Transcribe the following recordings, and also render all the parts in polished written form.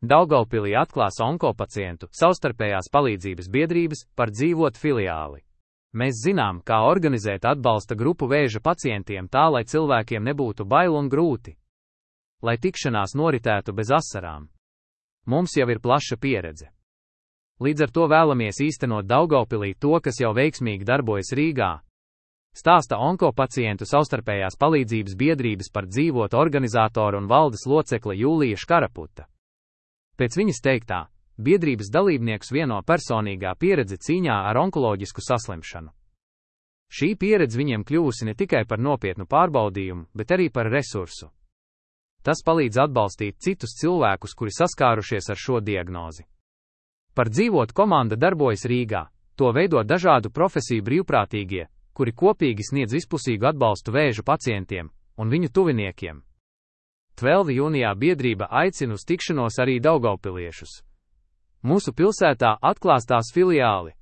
Daugavpilī atklās onkopacientu savstarpējās palīdzības biedrības par dzīvot filiāli. Mēs zinām, kā organizēt atbalsta grupu vēža pacientiem tā, lai cilvēkiem nebūtu bail un grūti. Lai tikšanās noritētu bez asarām. Mums jau ir plaša pieredze. Līdz ar to vēlamies īstenot Daugavpilī to, kas jau veiksmīgi darbojas Rīgā. Stāsta onkopacientu savstarpējās palīdzības biedrības par dzīvot organizātoru un valdes locekle Jūlija Škaraputa. Pēc viņas teiktā, biedrības dalībniekus vieno personīgā pieredze cīņā ar onkoloģisku saslimšanu. Šī pieredze viņiem kļuvusi ne tikai par nopietnu pārbaudījumu, bet arī par resursu. Tas palīdz atbalstīt citus cilvēkus, kuri saskārušies ar šo diagnozi. Par dzīvot komanda darbojas Rīgā, to veido dažādu profesiju brīvprātīgie, kuri kopīgi sniedz vispusīgu atbalstu vēža pacientiem un viņu tuviniekiem. 12. jūnijā biedrība aicina uz tikšanos arī daugavpiliešus. Mūsu pilsētā atklās tās filiāli.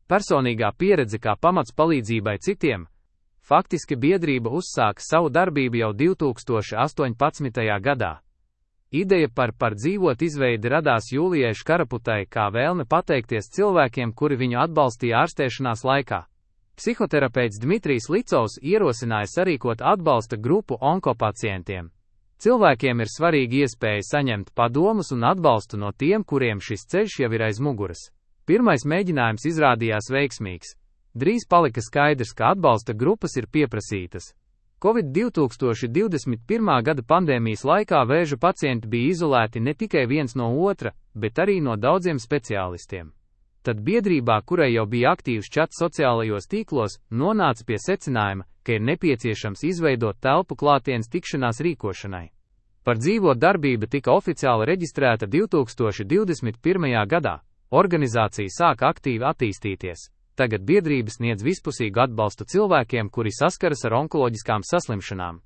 Personīgā pieredze kā pamats palīdzībai citiem. Faktiski biedrība uzsāka savu darbību jau 2018. gadā. Ideja par dzīvot izveidi radās Jūlijai Škaraputai kā vēlme pateikties cilvēkiem, kuri viņu atbalstīja ārstēšanās laikā. Psihoterapeits Dmitrijs Licovs ierosināja sarīkot atbalsta grupu onkopacientiem. Cilvēkiem ir svarīgi iespēja saņemt padomus un atbalstu no tiem, kuriem šis ceļš jau ir aiz muguras. Pirmais mēģinājums izrādījās veiksmīgs. Drīz palika skaidrs, ka atbalsta grupas ir pieprasītas. Covid-2021. gada pandēmijas laikā vēža pacienti bija izolēti ne tikai viens no otra, bet arī no daudziem speciālistiem. Tad biedrībā, kurai jau bija aktīvs čats sociālajos tīklos, nonāca pie secinājuma, ka ir nepieciešams izveidot telpu klātienes tikšanās rīkošanai. Par dzīvot darbība tika oficiāli reģistrēta 2021. gadā. Organizācija sāka aktīvi attīstīties. Tagad biedrība sniedz vispusīgu atbalstu cilvēkiem, kuri saskaras ar onkoloģiskām saslimšanām.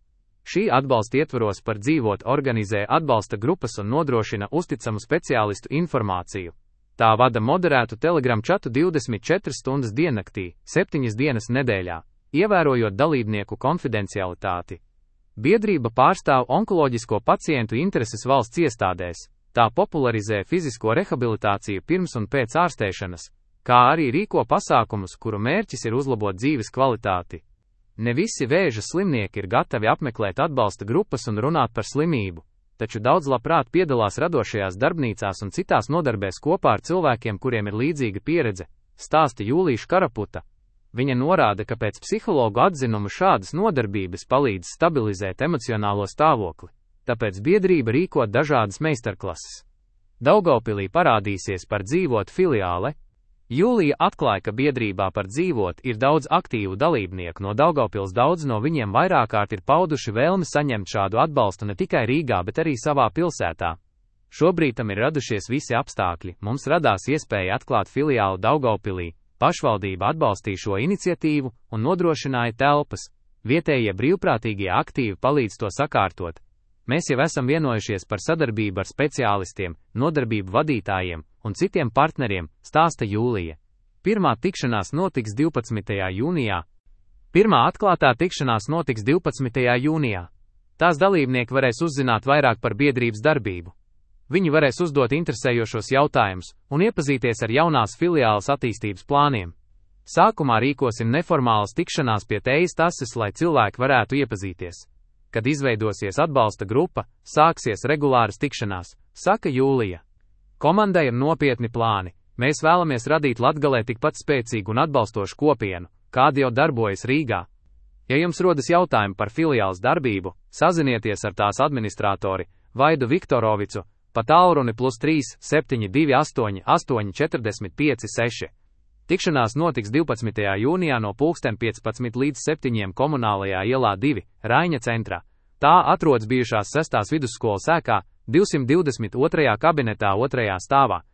Šī atbalsta ietvaros par dzīvot organizē atbalsta grupas un nodrošina uzticamu speciālistu informāciju. Tā vada moderētu Telegram čatu 24 stundas diennaktī, 7 dienas nedēļā, ievērojot dalībnieku konfidencialitāti. Biedrība pārstāv onkoloģisko pacientu intereses valsts iestādēs, tā popularizē fizisko rehabilitāciju pirms un pēc ārstēšanas, kā arī rīko pasākumus, kuru mērķis ir uzlabot dzīves kvalitāti. Ne visi vēža slimnieki ir gatavi apmeklēt atbalsta grupas un runāt par slimību, taču daudz labprāt piedalās radošajās darbnīcās un citās nodarbēs kopā ar cilvēkiem, kuriem ir līdzīga pieredze, stāsta Jūlija Škaraputa. Viņa norāda, ka pēc psihologu atzinumu šādas nodarbības palīdz stabilizēt emocionālo stāvokli, tāpēc biedrība rīko dažādas meistarklases. Daugavpilī parādīsies par dzīvot filiāle. Jūlija atklāja, ka biedrībā par dzīvot ir daudz aktīvu dalībnieku no Daugavpils, daudz no viņiem vairāk kārt ir pauduši vēlmi saņemt šādu atbalstu ne tikai Rīgā, bet arī savā pilsētā. Šobrīd tam ir radušies visi apstākļi, mums radās iespēja atklāt filiālu Daugavpilī, pašvaldība atbalstīja šo iniciatīvu un nodrošināja telpas, vietējie brīvprātīgie aktīvi palīdz to sakārtot. Mēs jau esam vienojušies par sadarbību ar speciālistiem, nodarbību vadītājiem un citiem partneriem, stāsta Jūlija. Pirmā tikšanās notiks 12. jūnijā. Pirmā atklātā tikšanās notiks 12. jūnijā. Tās dalībnieki varēs uzzināt vairāk par biedrības darbību. Viņi varēs uzdot interesējošos jautājumus un iepazīties ar jaunās filiāles attīstības plāniem. Sākumā rīkosim neformālas tikšanās pie tejas tases, lai cilvēki varētu iepazīties. Kad izveidosies atbalsta grupa, sāksies regulāras tikšanās, saka Jūlija. Komandai ir nopietni plāni. Mēs vēlamies radīt Latgalē tikpat spēcīgu un atbalstošu kopienu, kāda jau darbojas Rīgā. Ja jums rodas jautājumi par filiāles darbību, sazinieties ar tās administratori Vaidu Viktorovicu pa tālruni +3 728 845 6. Tikšanās notiks 12. jūnijā no 15 līdz 7 Komunālajā ielā 2, Raiņa centrā. Tā atrodas bijušās 6. vidusskolas ēkā, 222. kabinetā 2. stāvā.